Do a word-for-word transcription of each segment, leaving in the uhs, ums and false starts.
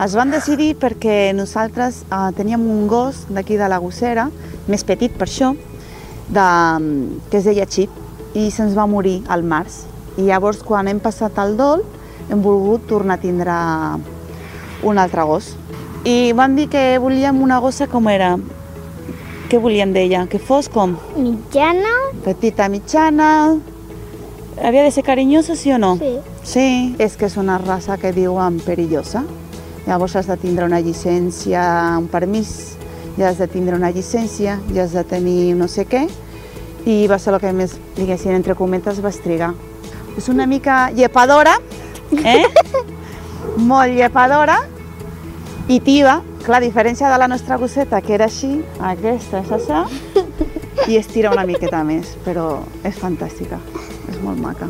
Es van decidir perquè nosaltres eh, teníem un gos d'aquí de la Gossera, més petit per això, de, que es deia Xip, i se'ns va morir al març. I llavors, quan hem passat el dol, hem volgut tornar a tindre un altre gos. I van dir que volíem una gossa com era. Què volíem d'ella? Que fos com? Mitjana. Petita, mitjana. Havia de ser carinyosa, sí o no? Sí. Sí, és que és una raça que diuen perillosa. Llavors has de tindre una llicència, un permís, ja has de tindre una llicència, ja has de tenir no sé què, i va ser el que més, diguéssim, entre cometes, vas trigar. És una mica llepadora, eh? Molt llepadora i tiba. Clar, a diferència de la nostra gosseta, que era així, aquesta és això, i es tira una miqueta més, però és fantàstica, és molt maca.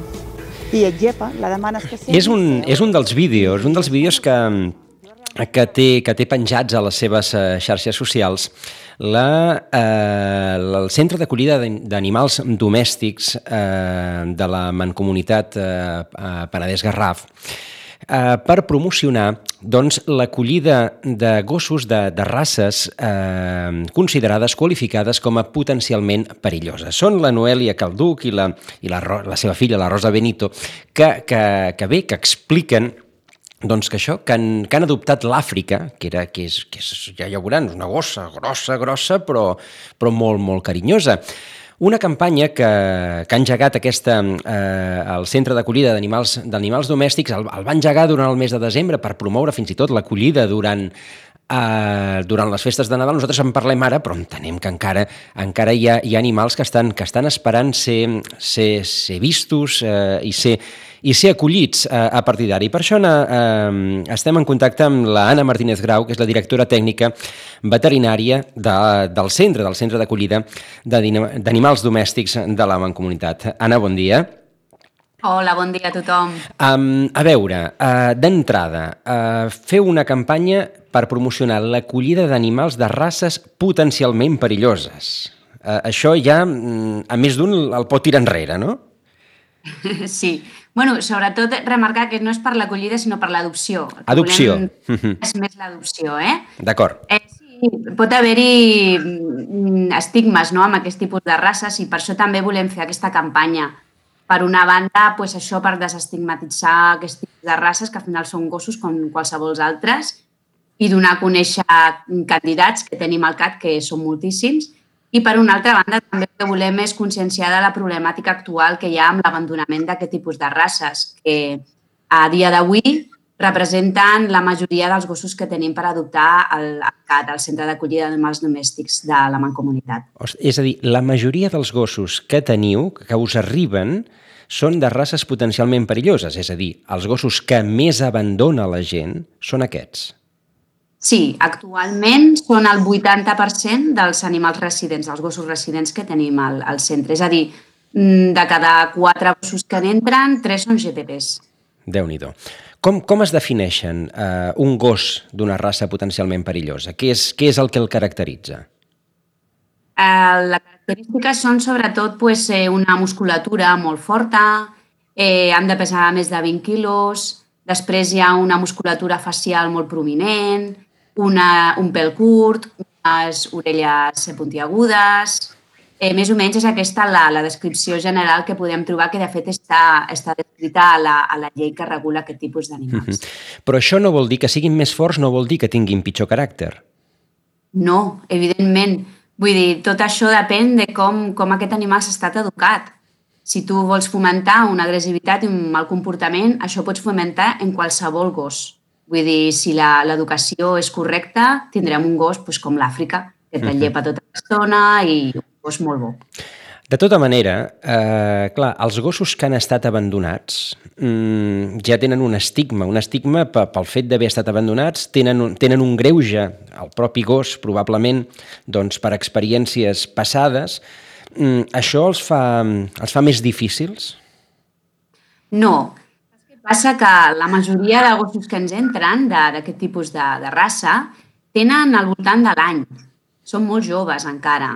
I et llepa, la demanes que sigui. És un, és un dels vídeos, un dels vídeos que, que, té, que té penjats a les seves eh, xarxes socials la, eh, el Centre d'Acollida d'Animals Domèstics eh, de la Mancomunitat eh, Penedès-Garraf, eh, per promocionar doncs, l'acollida de gossos de, de races eh, considerades qualificades com a potencialment perilloses. Són la Noelia Calduc i la, i la, la seva filla, la Rosa Benito, que, que, que bé, que expliquen doncs que això, que han, que han adoptat l'Àfrica, que, era, que, és, que és, ja ja ho veuran, una gossa grossa, grossa, però, però molt, molt carinyosa. Una campanya que, que ha engegat aquesta, eh, el Centre d'Acollida d'Animals d'Animals Domèstics, el, el va engegar durant el mes de desembre per promoure fins i tot l'acollida durant, eh, durant les festes de Nadal. Nosaltres en parlem ara, però entenem que encara, encara hi, ha, hi ha animals que estan, que estan esperant ser, ser, ser vistos eh, i ser i ser acollits a, a partir d'ara. I per això eh, estem en contacte amb la Anna Martínez Grau, que és la directora tècnica veterinària de, del centre, del Centre d'Acollida d'Animals Domèstics de la Mancomunitat. Anna, bon dia. Hola, bon dia a tothom. Um, a veure, uh, d'entrada, uh, feu una campanya per promocionar l'acollida d'animals de races potencialment perilloses. Uh, això ja, a més d'un, el pot tirar enrere, no? Sí. Bueno, sobretot remarcar que no és per l'acollida, sinó per l'adopció. Adopció. És més l'adopció, eh? D'acord. Eh, sí, pot haver-hi estigmes, no?, amb aquest tipus de races, i per això també volem fer aquesta campanya. Per una banda, pues, això per desestigmatitzar aquest tipus de races, que al final són gossos com qualsevol altres, i donar a conèixer candidats que tenim al C A T, que són moltíssims. I, per una altra banda, també el que volem és conscienciar de la problemàtica actual que hi ha amb l'abandonament d'aquest tipus de races, que a dia d'avui representen la majoria dels gossos que tenim per adoptar al C A T, al Centre d'Acollida d'Animals Domèstics de la Mancomunitat. És a dir, la majoria dels gossos que teniu, que us arriben, són de races potencialment perilloses, és a dir, els gossos que més abandona la gent són aquests. Sí, actualment són el vuitanta per cent dels animals residents, dels gossos residents que tenim al, al centre. És a dir, de cada quatre gossos que n'entren, tres són G P Ps. Déu-n'hi-do. Com, com es defineixen eh, un gos d'una raça potencialment perillosa? Què és, què és el que el caracteritza? Eh, les característiques són sobretot pues, una musculatura molt forta, eh, han de pesar més de vint quilos, després hi ha una musculatura facial molt prominent, Una, un pèl curt, unes orelles puntiagudes. Eh, més o menys és aquesta la, la descripció general que podem trobar, que de fet està, està descrita a la, a la llei que regula aquest tipus d'animals. Mm-hmm. Però això no vol dir que siguin més forts, no vol dir que tinguin pitjor caràcter. No, evidentment. Vull dir, tot això depèn de com, com aquest animal s'ha estat educat. Si tu vols fomentar una agressivitat i un mal comportament, això pots fomentar en qualsevol gos. Vull dir, si l'educació és correcta, tindrem un gos pues, com l'Àfrica, que te'n llepa tota l'estona i un gos molt bo. De tota manera, eh, clar, els gossos que han estat abandonats mmm, ja tenen un estigma, un estigma pel fet d'haver estat abandonats, tenen un, tenen un greuge, el propi gos, probablement, doncs, per experiències passades. Mm, això els fa, els fa més difícils? No. Passa que la majoria de gossos que ens entren d'aquest tipus de, de raça tenen al voltant de l'any. Són molt joves encara.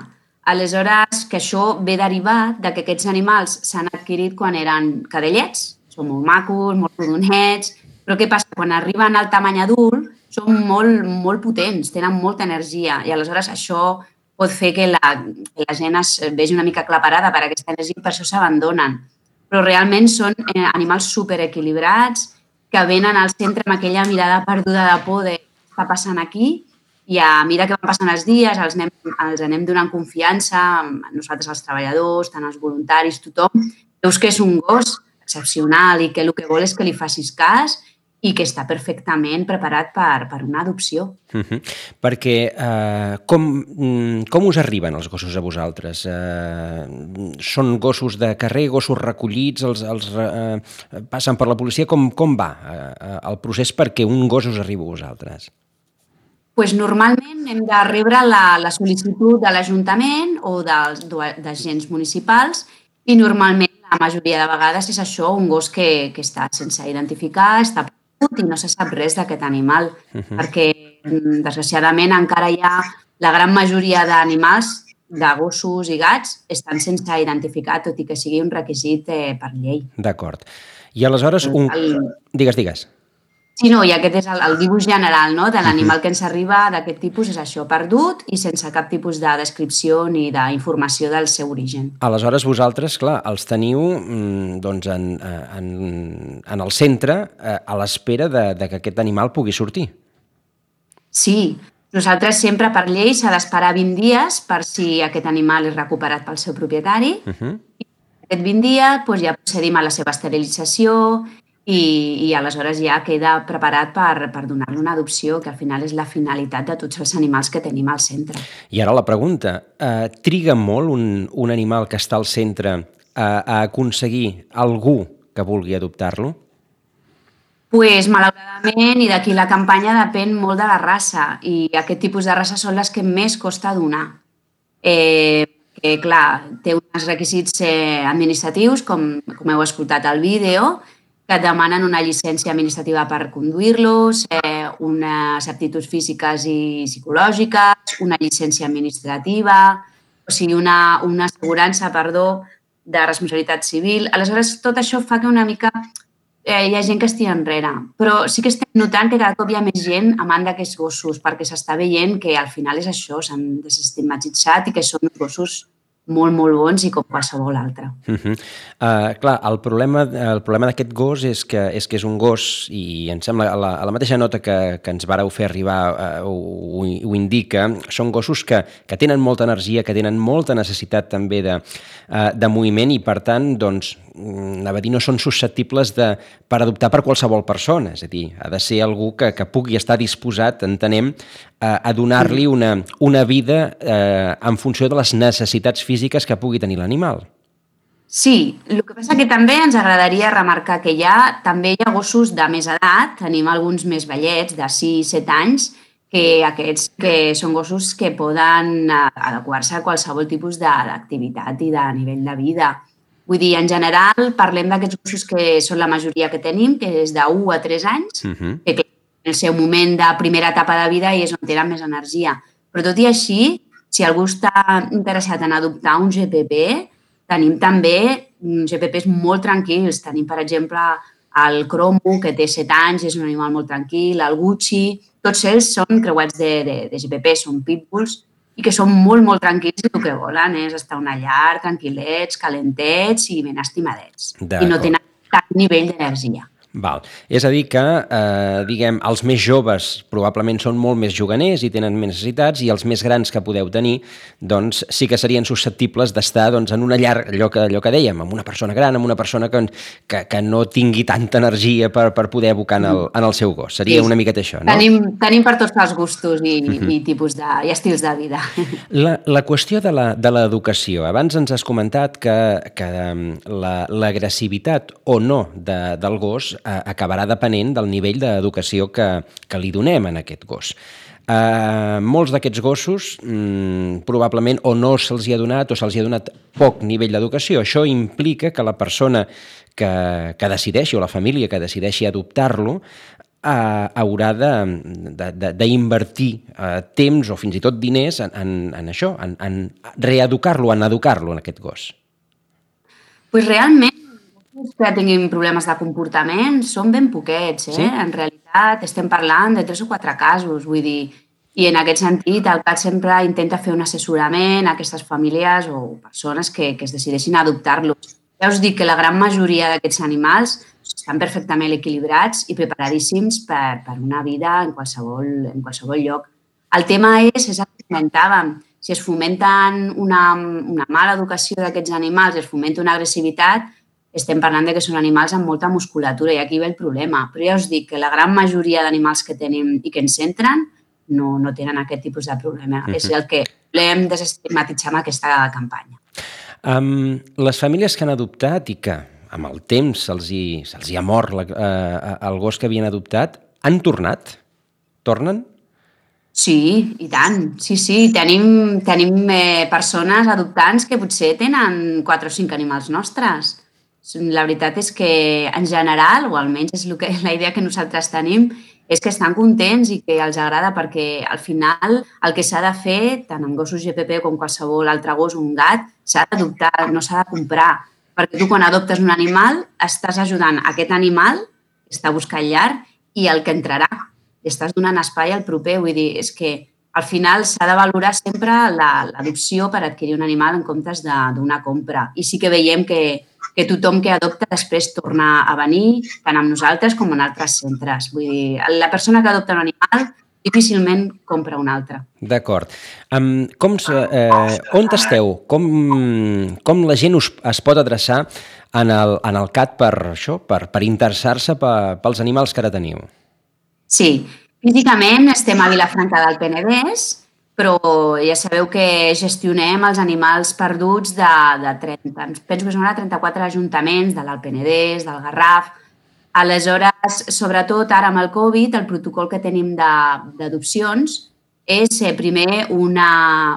Aleshores, que això ve derivat de que aquests animals s'han adquirit quan eren cadellets, són molt macos, molt rodonets, però què passa? Quan arriben al tamany adult són molt, molt potents, tenen molta energia i aleshores això pot fer que la, que la gent es vegi una mica aclaparada per aquesta energia i per això s'abandonen. Però realment són animals superequilibrats que venen al centre amb aquella mirada perduda de por de què està passant aquí i a mira que van passant els dies, els anem, els anem donant confiança, nosaltres els treballadors, tant els voluntaris, tothom. Veus que és un gos excepcional i que el que vol és que li facis cas i que està perfectament preparat per, per una adopció. Uh-huh. Perquè eh, com, com us arriben els gossos a vosaltres? Eh, són gossos de carrer, gossos recollits, els, els eh, passen per la policia? Com, com va eh, el procés perquè un gos us arribi a vosaltres? Pues normalment hem de rebre la, la sol·licitud de l'Ajuntament o dels d'agents municipals i normalment la majoria de vegades és això, un gos que, que està sense identificar, està perdut i no se sap res d'aquest animal, uh-huh. perquè desgraciadament encara hi ha la gran majoria d'animals, de gossos i gats, estan sense identificar, tot i que sigui un requisit eh, per llei. D'acord. I aleshores, un... El... digues, digues. Sí, no, i aquest és el, el dibuix general, no?, de l'animal que ens arriba d'aquest tipus, és això, perdut i sense cap tipus de descripció ni d'informació del seu origen. Aleshores, vosaltres, clar, els teniu doncs, en, en, en el centre a l'espera de, de que aquest animal pugui sortir. Sí, nosaltres sempre per llei s'ha d'esperar vint dies per si aquest animal és recuperat pel seu propietari. Uh-huh. I aquest vint dies doncs, ja procedim a la seva esterilització i, i aleshores ja queda preparat per, per donar-li una adopció, que al final és la finalitat de tots els animals que tenim al centre. I ara la pregunta, eh, triga molt un, un animal que està al centre a, a aconseguir algú que vulgui adoptar-lo? Pues, malauradament, i d'aquí la campanya depèn molt de la raça i aquest tipus de races són les que més costa donar. Eh, que, clar, té uns requisits eh, administratius, com, com heu escoltat al vídeo, que et demanen una llicència administrativa per conduir-los, eh, unes aptituds físiques i psicològiques, una llicència administrativa, o sigui, una, una assegurança, perdó, de responsabilitat civil. Aleshores, tot això fa que una mica eh, hi ha gent que estigui enrere. Però sí que estem notant que cada cop hi ha més gent amant d'aquests gossos, perquè s'està veient que al final és això, s'han desestigmatitzat i que són uns gossos molt, molt bons i com qualsevol altre. Uh-huh. uh, clar, el problema, el problema d'aquest gos és que, és que és un gos, i em sembla a la, a la mateixa nota que, que ens vareu fer arribar uh, ho, ho indica, són gossos que, que tenen molta energia, que tenen molta necessitat també de, uh, de moviment i per tant, doncs, anava a dir, no són susceptibles de, per adoptar per qualsevol persona, és a dir, ha de ser algú que, que pugui estar disposat, entenem, a, a donar-li una, una vida eh, en funció de les necessitats físiques que pugui tenir l'animal. Sí, el que passa que també ens agradaria remarcar que hi ha, també hi ha gossos de més edat, tenim alguns més vellets, de sis set anys, que aquests que són gossos que poden adequar-se a qualsevol tipus d'activitat i de nivell de vida. Vull dir, en general, parlem d'aquests gossos que són la majoria que tenim, que és d'u a tres anys, uh-huh. que en el seu moment de primera etapa de vida i és on tenen més energia. Però tot i així, si algú està interessat en adoptar un G P P, tenim també G P Ps molt tranquils. Tenim, per exemple, el Cromo, que té set anys, és un animal molt tranquil, el Gucci, tots ells són creuats de, de, de G P P, són pitbulls, i que són molt, molt tranquils i el que volen és estar a una llar, tranquil·lets, calentets i ben estimadets. I no tenen cap nivell d'energia. Val. És a dir que, eh, diguem, els més joves probablement són molt més juganers i tenen més necessitats i els més grans que podeu tenir, doncs sí que serien susceptibles d'estar doncs, en una llar, allò que, allò que dèiem, amb una persona gran, amb una persona que, que, que no tingui tanta energia per, per poder abocar en el, en el seu gos. Seria sí. una miqueta això, no? Tenim, tenim per tots els gustos i, uh-huh. i tipus de, i estils de vida. La, la qüestió de la, de l'educació. Abans ens has comentat que, que l'agressivitat la, o no de, del gos acabarà depenent del nivell d'educació que, que li donem a aquest gos. Uh, molts d'aquests gossos mm, probablement o no se'ls ha donat o se'ls ha donat poc nivell d'educació. Això implica que la persona que, que decideixi o la família que decideixi adoptar-lo uh, haurà d'invertir uh, temps o fins i tot diners en, en, en això, en, en reeducar-lo, en educar-lo, en aquest gos. Pues realment que tinguin problemes de comportament són ben poquets, eh? Sí? En realitat, realitat estem parlant de tres o quatre casos, vull dir, i en aquest sentit el C A T sempre intenta fer un assessorament a aquestes famílies o persones que, que es decideixin a adoptar-los. Ja us dic que la gran majoria d'aquests animals estan perfectament equilibrats i preparadíssims per, per una vida en qualsevol, en qualsevol lloc. El tema és, és el que comentàvem, si es fomenten una, una mala educació d'aquests animals, es fomenta una agressivitat, estem parlant de que són animals amb molta musculatura i aquí ve el problema. Però ja us dic que la gran majoria d'animals que tenim i que ens entren no, no tenen aquest tipus de problema. Uh-huh. És el que volem desestigmatitzar amb aquesta campanya. Um, les famílies que han adoptat i que amb el temps se'ls hi, se'ls hi ha mort la, uh, el gos que havien adoptat, han tornat? Tornen? Sí, i tant. Sí, sí. Tenim, tenim eh, persones adoptants que potser tenen quatre o cinc animals nostres. La veritat és que, en general, o almenys és que, la idea que nosaltres tenim, és que estan contents i que els agrada perquè, al final, el que s'ha de fer, tant amb gossos G P P com qualsevol altre gos o un gat, s'ha d'adoptar, no s'ha de comprar. Perquè tu, quan adoptes un animal, estàs ajudant aquest animal que està buscant llar i el que entrarà. Estàs donant espai al proper, vull dir, és que al final s'ha de valorar sempre l'adopció per adquirir un animal en comptes d'una compra. I sí que veiem que, que tothom que adopta després torna a venir, tant amb nosaltres com en altres centres. Vull dir, la persona que adopta un animal difícilment compra un altre. D'acord. Um, com, eh, on esteu? Com, com la gent us, es pot adreçar en el, en el C A T per això, per, per interessar-se pels animals que ara teniu? Sí, físicament estem a Vilafranca del Penedès, però ja sabeu que gestionem els animals perduts de, de trenta, penso que són ara trenta-quatre ajuntaments de l'Alt Penedès, del Garraf. Aleshores, sobretot ara amb el Covid, el protocol que tenim d'adopcions és primer una,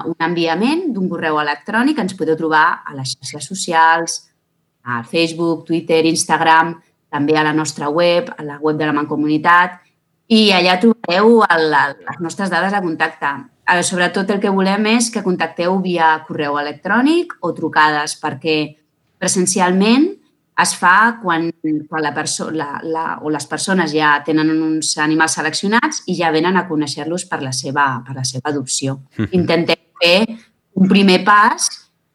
un enviament d'un correu electrònic que ens podeu trobar a les xarxes socials, a Facebook, Twitter, Instagram, també a la nostra web, a la web de la Mancomunitat, i allà trobareu el, les nostres dades de contacte. Sobretot el que volem és que contacteu via correu electrònic o trucades, perquè presencialment es fa quan, quan la perso la, la, o les persones ja tenen uns animals seleccionats i ja venen a conèixer-los per, la seva, per la seva adopció. Intentem fer un primer pas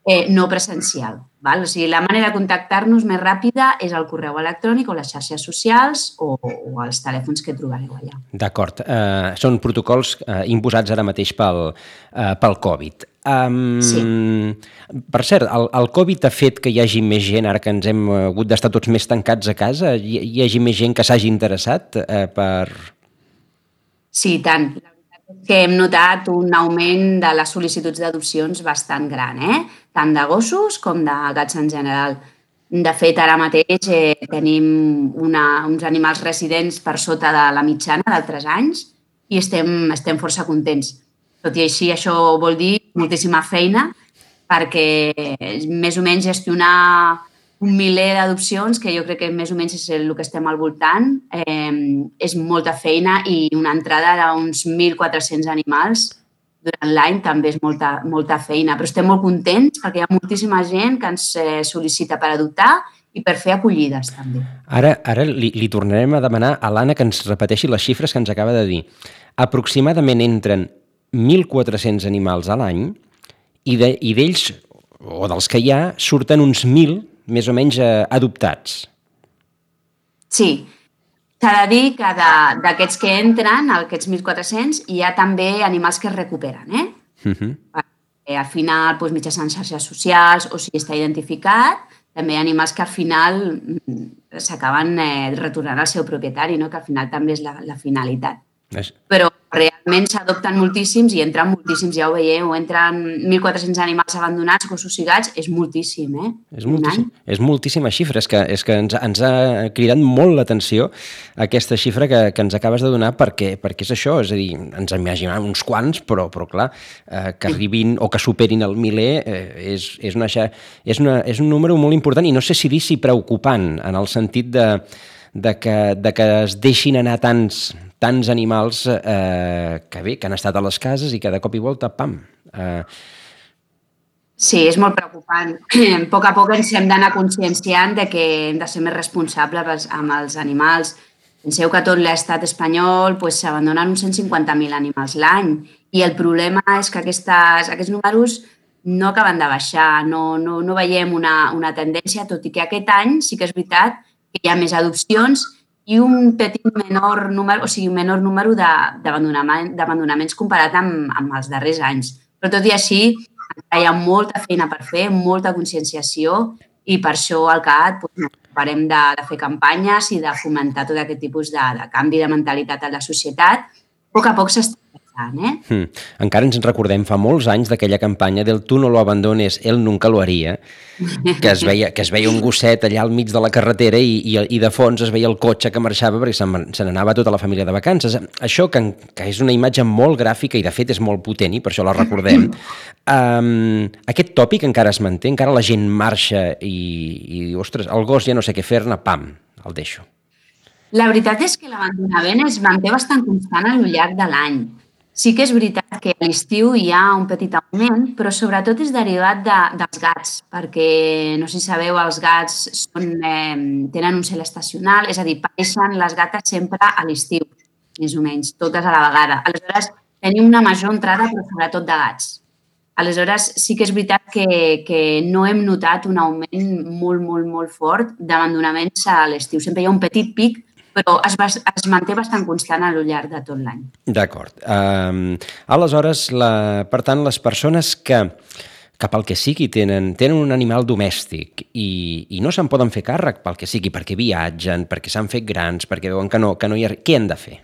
eh, no presencial. Val? O sigui, la manera de contactar-nos més ràpida és el correu electrònic o les xarxes socials o, o els telèfons que trobareu allà. D'acord. Uh, són protocols uh, imposats ara mateix pel, uh, pel Covid. Um, sí. Per cert, el, el Covid ha fet que hi hagi més gent, ara que ens hem hagut d'estar tots més tancats a casa, hi, hi hagi més gent que s'hagi interessat uh, per... Sí, tant. La veritat és que hem notat un augment de les sol·licituds d'adopcions bastant gran, eh? Tant de gossos com de gats en general. De fet, ara mateix eh, tenim una, uns animals residents per sota de la mitjana d'altres anys i estem, estem força contents. Tot i així, això vol dir moltíssima feina perquè més o menys gestionar un miler d'adopcions, que jo crec que més o menys és el que estem al voltant, eh, és molta feina i una entrada d'uns mil quatre-cents animals durant l'any també és molta, molta feina. Però estem molt contents perquè hi ha moltíssima gent que ens eh, sol·licita per adoptar i per fer acollides també. Ara, ara li, li tornarem a demanar a l'Anna que ens repeteixi les xifres que ens acaba de dir. Aproximadament entren mil quatre-cents animals a l'any i d'ells, o dels que hi ha, surten uns mil més o menys eh, adoptats. Sí, s'ha de dir que d'aquests que entren, aquests mil quatre-cents, hi ha també animals que es recuperen, eh? Uh-huh. Perquè al final, doncs, mitjançant xarxes socials o si està identificat, també hi ha animals que al final s'acaben eh, retornant al seu propietari, no? Que al final també és la, la finalitat. És... Però realment s'adopten moltíssims i entren moltíssims, ja ho veieu, entren mil quatre-cents animals abandonats, gossos i gats, és moltíssim, eh? És moltíssim, és moltíssima xifra, és que, és que ens, ens ha cridat molt l'atenció aquesta xifra que, que ens acabes de donar perquè, perquè és això, és a dir, ens imaginàvem uns quants, però, però clar, eh, que arribin o que superin el miler eh, és, és, una, és, una, és un número molt important i no sé si dir si preocupant, en el sentit de, de, que, de que es deixin anar tants... tants animals eh, que bé, que han estat a les cases i que de cop i volta, pam. Eh... Sí, és molt preocupant. A poc a poc ens hem d'anar conscienciant de que hem de ser més responsables amb els animals. Penseu que a tot l'estat espanyol pues, s'abandonen uns cent cinquanta mil animals l'any i el problema és que aquestes, aquests números no acaben de baixar, no, no, no veiem una, una tendència, tot i que aquest any sí que és veritat que hi ha més adopcions i un petit menor número, o sigui, un menor número d'abandonaments comparat amb, amb els darrers anys. Però tot i així, hi ha molta feina per fer, molta conscienciació i per això al C A T doncs, farem de, de fer campanyes i de fomentar tot aquest tipus de, de canvi de mentalitat a la societat. A poc a poc s'està passant, eh? Hmm. Encara ens en recordem fa molts anys d'aquella campanya del tu no lo abandones, él nunca lo haría, que es veia, que es veia un gosset allà al mig de la carretera i, i, i de fons es veia el cotxe que marxava perquè se, se n'anava tota la família de vacances. Això, que, que és una imatge molt gràfica i de fet és molt potent i per això la recordem, um, aquest tòpic encara es manté, encara la gent marxa i, i diu, ostres, el gos ja no sé què fer-ne, pam, el deixo. La veritat és que l'abandonament es manté bastant constant al llarg de l'any. Sí que és veritat que a l'estiu hi ha un petit augment, però sobretot és derivat de, dels gats, perquè, no sé si sabeu, els gats són, eh, tenen un cel estacional, és a dir, pareixen les gates sempre a l'estiu, més o menys, totes a la vegada. Aleshores, tenim una major entrada, però sobretot de gats. Aleshores, sí que és veritat que, que no hem notat un augment molt, molt, molt fort d'abandonaments a l'estiu. Sempre hi ha un petit pic, però es, es manté bastant constant a lo llarg de tot l'any. D'acord. Um, aleshores, la, per tant, les persones que, que pel que sigui tenen, tenen un animal domèstic i, i no se'n poden fer càrrec pel que sigui, perquè viatgen, perquè s'han fet grans, perquè veuen que no, que no hi ha... Què han de fer?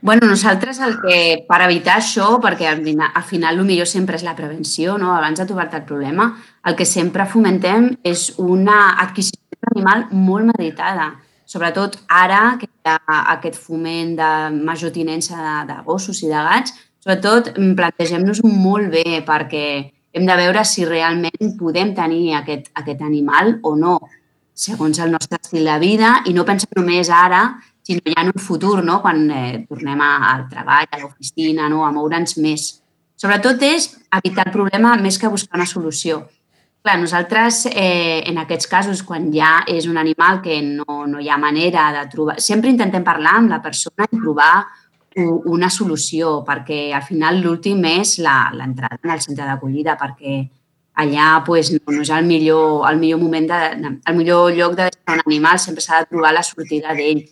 Bueno, nosaltres el que, per evitar això, perquè al final, al final el millor sempre és la prevenció, no? Abans de trobar-te el problema, el que sempre fomentem és una adquisició d'animal molt meditada. Sobretot ara que hi ha aquest foment de major tinença de, de gossos i de gats, sobretot plantegem-nos molt bé perquè hem de veure si realment podem tenir aquest, aquest animal o no, segons el nostre estil de vida i no pensar només ara, sinó ja en un futur, no? Quan eh, tornem al treball, a l'oficina, no? A moure'ns més. Sobretot és evitar el problema més que buscar una solució. Clar, nosaltres, eh, en aquests casos, quan ja és un animal que no, no hi ha manera de trobar... Sempre intentem parlar amb la persona i trobar una solució, perquè al final l'últim és l'entrada en el centre d'acollida, perquè allà pues, no, no és el millor, el millor moment, de, el millor lloc de deixar un animal, sempre s'ha de trobar la sortida d'ell.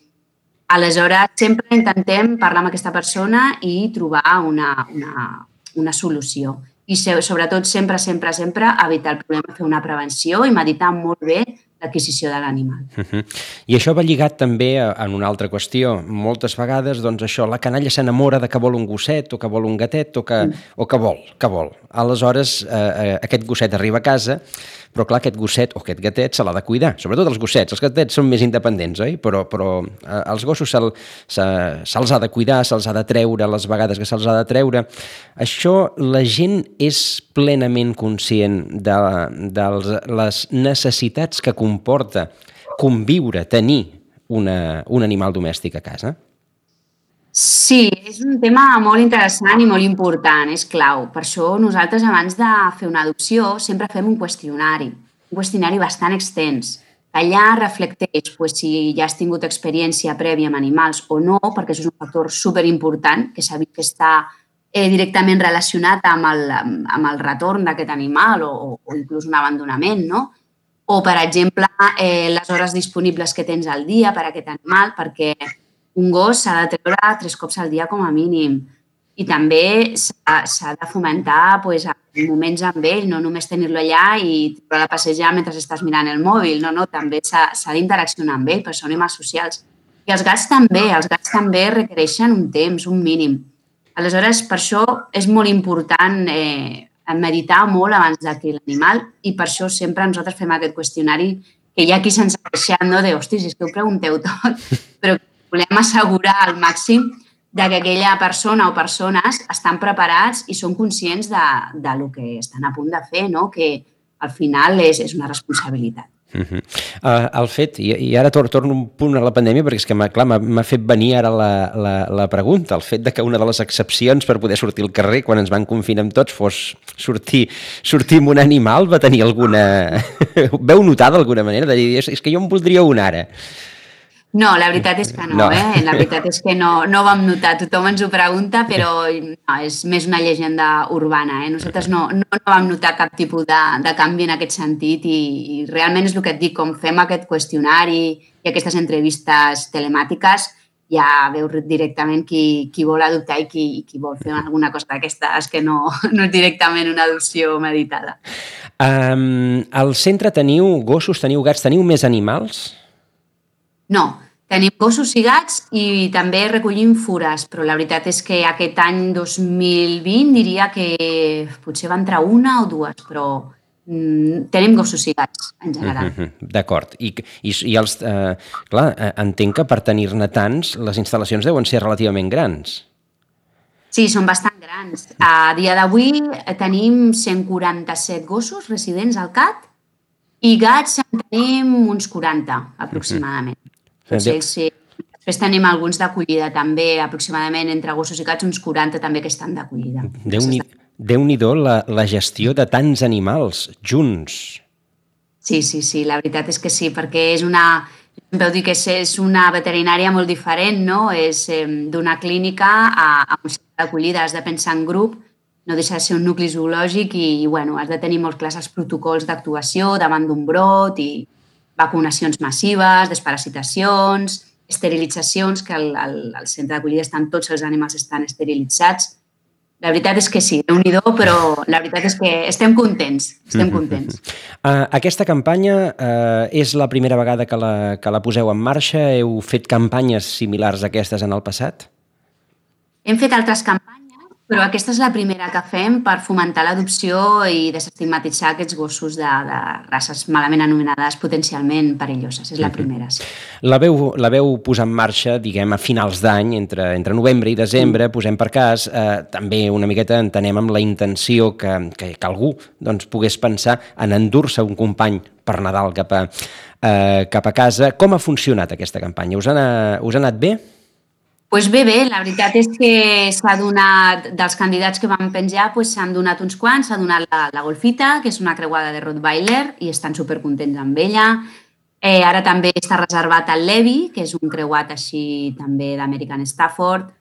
Aleshores, sempre intentem parlar amb aquesta persona i trobar una, una, una solució. I sobretot sempre, sempre, sempre evitar el problema, fer una prevenció i meditar molt bé l'adquisició de l'animal. Uh-huh. I això va lligat també a, a una altra qüestió. Moltes vegades, doncs això, la canalla s'enamora de que vol un gosset o que vol un gatet o que, mm. o que vol, que vol. Aleshores, eh, aquest gosset arriba a casa, però clar, aquest gosset o aquest gatet se l'ha de cuidar. Sobretot els gossets. Els gatets són més independents, oi? Però, però eh, els gossos se'ls se, se ha de cuidar, se'ls ha de treure les vegades que se'ls ha de treure. Això, la gent és plenament conscient de, de les necessitats que comporta conviure, tenir una, un animal domèstic a casa? Sí, és un tema molt interessant i molt important, és clau. Per això nosaltres abans de fer una adopció sempre fem un qüestionari, un qüestionari bastant extens. Allà reflecteix pues, si ja has tingut experiència prèvia amb animals o no, perquè això és un factor superimportant que s'ha vist que està eh, directament relacionat amb el, amb el retorn d'aquest animal o, o inclús un abandonament, no? O, per exemple, eh, les hores disponibles que tens al dia per a aquest animal, perquè un gos s'ha de treure tres cops al dia com a mínim. I també s'ha de fomentar pues, moments amb ell, no només tenir-lo allà i treure a passejar mentre estàs mirant el mòbil. No, no, també s'ha d'interaccionar amb ell, perquè són animals socials. I els gats també, els gats també requereixen un temps, un mínim. Aleshores, per això és molt important eh, meditar molt abans d'adquirir l'animal i per això sempre nosaltres fem aquest qüestionari que hi ha qui se'ns ha queixat, no? De, hòstia, si és que ho pregunteu tot, però volem assegurar al màxim de que aquella persona o persones estan preparats i són conscients de, de lo que estan a punt de fer, no? Que al final és, és una responsabilitat. Uh-huh. uh, el fet, i, i ara tor torno un punt a la pandèmia perquè és que m'ha fet venir ara la, la, la pregunta, el fet de que una de les excepcions per poder sortir al carrer quan ens van confinar amb tots fos sortir, sortir amb un animal, va tenir alguna... Veu notar d'alguna manera de dir, és, és que jo en voldria un ara. No, la veritat és que no, no. eh? La veritat és que no, no ho vam notar. Tothom ens ho pregunta, però no, és més una llegenda urbana. Eh? Nosaltres no, no, no vam notar cap tipus de, de canvi en aquest sentit i, i realment és el que et dic, com fem aquest qüestionari i aquestes entrevistes telemàtiques, ja veus directament qui, qui vol adoptar i qui, qui vol fer alguna cosa d'aquestes que no, no és directament una adopció meditada. Um, al centre teniu gossos, teniu gats, teniu més animals? No, tenim gossos i gats i també recollim fures, però la veritat és que aquest any dos mil vint diria que potser va entrar una o dues, però mm, tenim gossos i gats en general. Mm -hmm, d'acord. I, i, i els, eh, clar, entenc que per tenir-ne tants les instal·lacions deuen ser relativament grans. Sí, són bastant grans. A dia d'avui tenim cent quaranta-set gossos residents al C A T i gats en tenim uns quaranta, aproximadament. Potser, sí. Després tenim alguns d'acollida també, aproximadament entre gossos i gats, uns quaranta també que estan d'acollida. Déu-n'hi Déu-n'hi-do la, la gestió de tants animals junts. Sí, sí, sí, la veritat és que sí, perquè és una... Vau dir que és una veterinària molt diferent, no? És eh, d'una clínica a, a un centre d'acollida, has de pensar en grup, no deixa de ser un nucli zoològic i, i bueno, has de tenir molt clars els protocols d'actuació davant d'un brot i vacunacions massives, desparasitacions, esterilitzacions, que al, al, al centre d'acollida estan tots els animals estan esterilitzats. La veritat és que sí, déu-n'hi-do, però la veritat és que estem contents, estem contents. Uh, aquesta campanya uh, és la primera vegada que la, que la poseu en marxa? Heu fet campanyes similars a aquestes en el passat? Hem fet altres campanyes, però aquesta és la primera que fem per fomentar l'adopció i desestigmatitzar aquests gossos de, de races malament anomenades potencialment perilloses. És la primera, sí. La veu, la veu posar en marxa, diguem, a finals d'any, entre, entre novembre i desembre, posem per cas, eh, també una miqueta entenem amb la intenció que, que, que algú doncs, pogués pensar en endur-se un company per Nadal cap a, eh, cap a casa. Com ha funcionat aquesta campanya? Us ha, us ha anat bé? Doncs bé, bé, la veritat és que s'ha donat, dels candidats que vam penjar, s'han donat uns quants, s'ha donat la, la Golfita, que és una creuada de Rottweiler, i estan supercontents amb ella. Eh, ara també està reservat el Levi, que és un creuat així també d'American Stafford.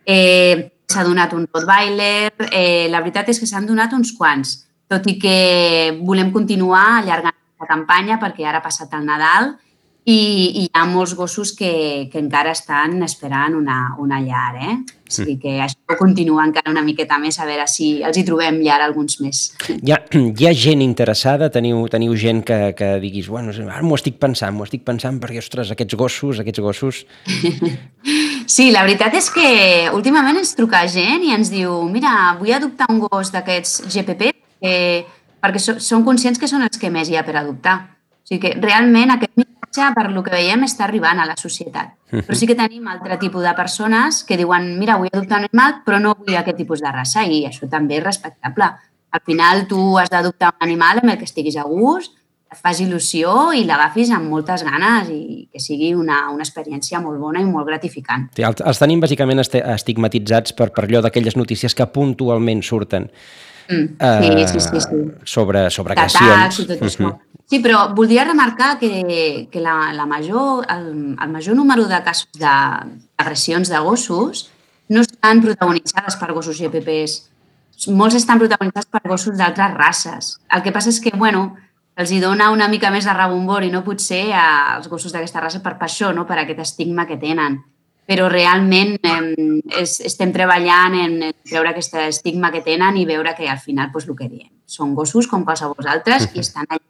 Eh, s'ha donat un Rottweiler, eh, la veritat és que s'han donat uns quants, tot i que volem continuar allargant la campanya perquè ara ha passat el Nadal i, i hi ha molts gossos que, que encara estan esperant una, una llar, eh? O sigui que això continua encara una miqueta més, a veure si els hi trobem llar alguns més. Hi ha, hi ha gent interessada? Teniu, teniu gent que, que diguis, bueno, ara m'ho estic pensant, m'ho estic pensant perquè, ostres, aquests gossos, aquests gossos... Sí, la veritat és que últimament ens truca gent i ens diu, mira, vull adoptar un gos d'aquests G P P eh, perquè so, són conscients que són els que més hi ha per adoptar. O sigui que realment aquest missatge, per lo que veiem, està arribant a la societat. Però sí que tenim altre tipus de persones que diuen, mira, vull adoptar un animal, però no vull aquest tipus de raça, i això també és respectable. Al final, tu has d'adoptar un animal amb el que estiguis a gust, et fas il·lusió i l'agafis amb moltes ganes i que sigui una, una experiència molt bona i molt gratificant. Sí, els tenim bàsicament estigmatitzats per, per allò d'aquelles notícies que puntualment surten mm, sí, uh, sí, sí, sí. sobre, sobre agressions. I tot això. Sí, però voldria remarcar que, que la, la major, el, el major número de casos d'agressions de, de gossos no estan protagonitzades per gossos G P Ps. Molts estan protagonitzats per gossos d'altres races. El que passa és que, bueno, els hi dona una mica més de rebombori, no potser als gossos d'aquesta raça per, per això, no? Per aquest estigma que tenen. Però realment eh, es, estem treballant en, en treure aquest estigma que tenen i veure que al final, doncs, el que diem, són gossos com qualsevol altres i estan allà.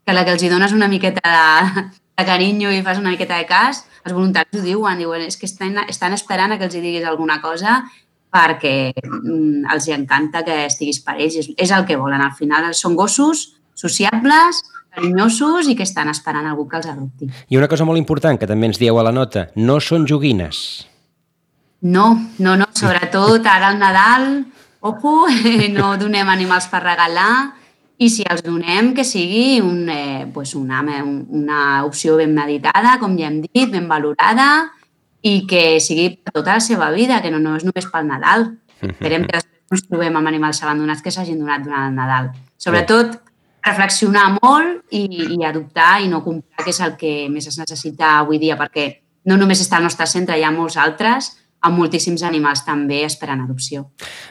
Que la que els hi dones una miqueta de, de carinyo i fas una miqueta de cas, els voluntaris ho diuen, diuen és que estan, estan esperant a que els hi diguis alguna cosa perquè mm, els hi encanta que estiguis per ells. És, és el que volen, al final són gossos sociables, carinyosos i que estan esperant algú que els adopti. I una cosa molt important que també ens dieu a la nota, no són joguines. No, no, no, sobretot ara al Nadal, ojo, no donem animals per regalar i si els donem que sigui un, eh, pues una, una opció ben meditada, com ja hem dit, ben valorada i que sigui per tota la seva vida, que no, no és només pel Nadal. Esperem que després ens trobem amb animals abandonats que s'hagin donat durant el Nadal. Sobretot, reflexionar molt i, i adoptar i no comprar, que és el que més es necessita avui dia, perquè no només està al nostre centre, hi ha molts altres, amb moltíssims animals també esperant adopció.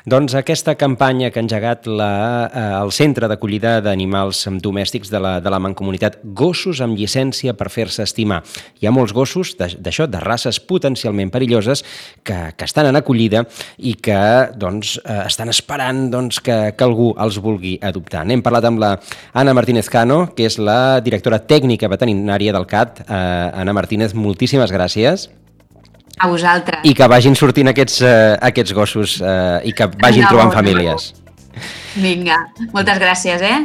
Doncs aquesta campanya que ha engegat la, eh, el Centre d'Acollida d'Animals Domèstics de la, de la Mancomunitat, gossos amb llicència per fer-se estimar. Hi ha molts gossos d'això, de, de races potencialment perilloses que, que estan en acollida i que doncs, eh, estan esperant doncs, que, que algú els vulgui adoptar. N'hem parlat amb la Anna Martínez Cano, que és la directora tècnica veterinària del C A T. Eh, Anna Martínez, moltíssimes gràcies. A vosaltres. I que vagin sortint aquests, eh, aquests gossos eh, i que vagin no, trobant famílies. Vinga, moltes gràcies, eh?